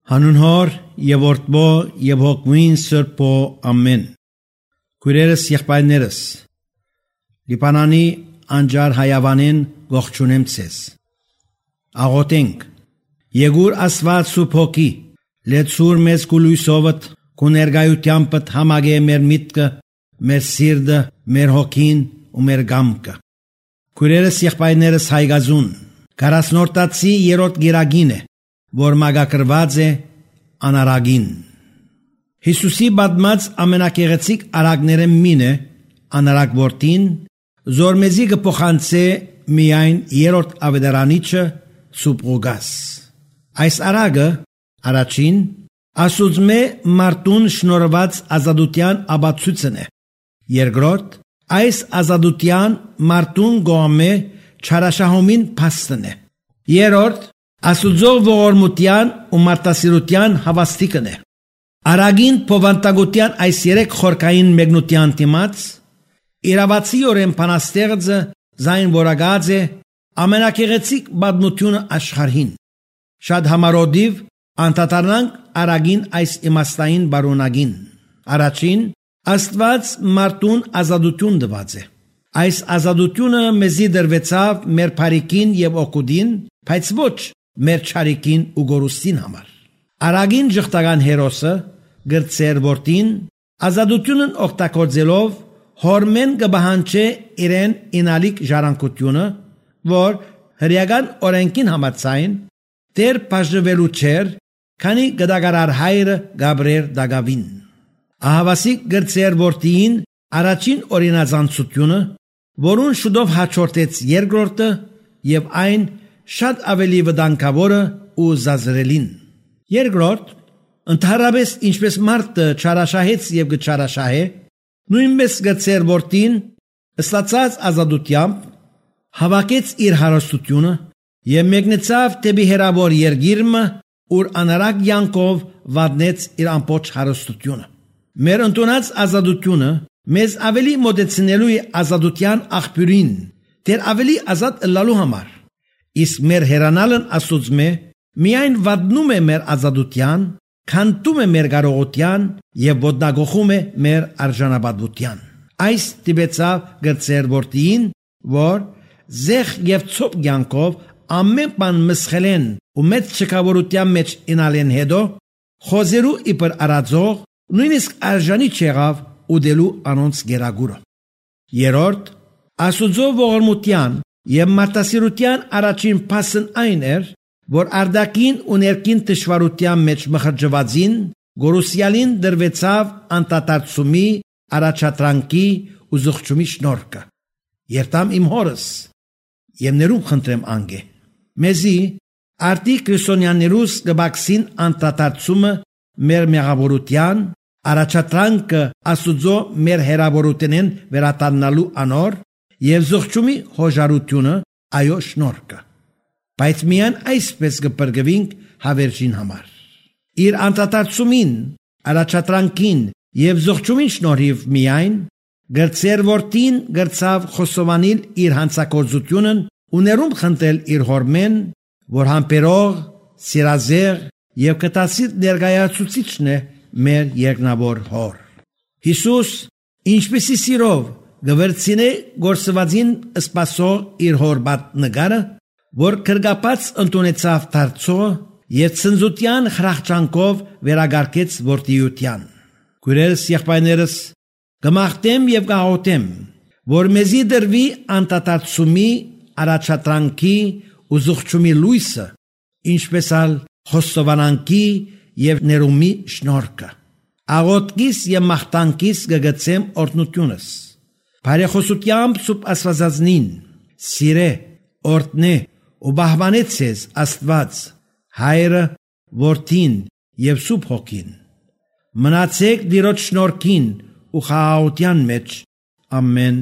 Հանուն Հոր եւ Որդբո եւ Հոգին Սուրբո ամեն։ Քույրերս, եղբայրներս, Լիբանանի անջար հայավանին ողջունեմ ցեզ։ Աղոթենք։ Եկուր Աստված Սուրբ Հոգի, լեցուր մեզ գույսովդ, քու ներկայությամբ համագե մեր միտքը, մեր սիրտը, մեր հոգին ու մեր գամքը։ Քույրերս, եղբայրներս, հայգազուն 40-րդացի 3-րդ գիրագին է, որ մագակրված է անարագին։ Հիսուսի բադմած ամենակեղեցիկ արագները մին է անարագ որդին, զորմեզի կփոխանցե միայն 3-րդ ավետարանիչը Սուպրուգաս։ Այս արագը առաջին ասուծմե մարտուն շնորհված ազատության աբացույցն է։ Երկրորդ այս ազատության մարտուն գոմե չարաշահումին փաստն է։ Երրորդ Աստուծո ողորմության ու մարտասիրության հավաստիկն է։ Արագին փոխանցագության այս 3 խորքային մեկնության դիմաց իրավացիորեն փանաստեղծը զայն որագած է ամենակեղեցիկ բադմությունը աշխարհին։ Շատ համարոդիվ անդադարանանք արագին այս իմաստային բարոնագին։ Առաջին Աստված մարդուն ազատություն տված է։ Այս ազատությունը մեզի դրվեցավ մեր բարիքին եւ օգուտին, բայց ոչ մեր չարիքին ու գորուստին համար։ Արագին ժխտական հերոսը գրծեր որդին ազատությունն օգտագործելով հորմեն կբահանչե իրեն ինալիք ժառանգությունը, որ հրեական օրենքին համաձայն դեր բաժնվելու չէր, քանի գդագարար հայրը Գաբրիել դագավին։ Ահավասիկ գրծեր որդին առաջին օրինազանցությունը, որուն շուտով հաջորդեց երկրորդը եւ այն շատ ավելի վտանգավորը ու զազրելին։ Երկրորդ, ընդհանրապես ինչպես մարդը չարաշահեց եւ գչարաշահե, նույնպես գրծեր որդին ստացած ազատությամբ հավաքեց իր հարստությունը եւ մեկնեցավ դեպի հերավոր երգիրը, ուր անարակ յանքով վատնեց իր ամբողջ հարստությունը։ Մեր ընդունած ազատությունը մեզ ավելի մոտեցնելու է ազատության աղբյուրին, դեր ավելի ազատ ըլլալու համար։ Իսկ մեր հերանալն Աստծո միայն վատնում է մեր ազատության, քանդում է մեր կարողության եւ ոտնագողում է մեր արժանապատվության։ Այս տիպեցավ գրծեր որդին, որ զեղ եւ ցոփ յանքով ամեն բան մսխելեն ու մեծ չկավորության մեջ ինալեն հետո խոզերու իբր արածող նույնիսկ արժանի չեղավ ուդելու անոնց գերագուրը։ Երորդ Աստուծո ողորմության եւ մարտասիրության առաջին փաստն այն էր, որ արդակին ու ներքին դժվարության մեջ մխրճվածին գորուսյալին դրվեցավ անտատարծումի, առաջատրանքի ու զղջումի շնորհքը։ Երտամ իմ հորս եւ ներում խնդրեմ անգե։ Մեզի արտի քրիստոնյաներուս գբաքսին անտատարծումը մեր մեղավորության, առաջատրանքը Աստուծո մեր հերավորութենեն վերատաննալու անոր եւ զղջումի հոժարությունը այո շնորհքը։ Բայց միայն այսպես կպրկվենք հավերժին համար։ Իր անդադարձումին, առաջատրանքին եւ զղջումին շնորհիվ միայն գրծեր որդին գրծավ խոսովանիլ իր հանցակործությունն ու ներում խնդրել իր հորմեն, որ համբերող, սիրազեղ եւ կտասիր ներկայացուցիչն է մեր երկնավոր հոր։ Հիսուս ինչպեսի սիրով գվերցինե գործվածին սպասող իր հորբատ նգարը, որ կրկապած ընդունեցավ դարձողը եւ ցնծության խրախճանքով վերագարկեց որդիության։ Քույրերս, եղբայրներս, կմաղթեմ եւ կաղոթեմ, որ մեզի դրվի անտատարծումի, առաջատրանքի ու զղջումի լույսը, ինչպես ալ խոստովանանքի եւ ներումի շնորհքը։ Աղոթքիս եւ մաղթանքիս կգցեմ օրհնությունս։ Բարեխոսությամբ Սուրբ Աստվածածնին, սիրե, օրհնե ու բահբանեցես Աստված, Հայրը, Որդին եւ Սուրբ Հոգին։ Մնացեք Տիրոջ շնորհքին ու խաղաղության մեջ։ Ամեն։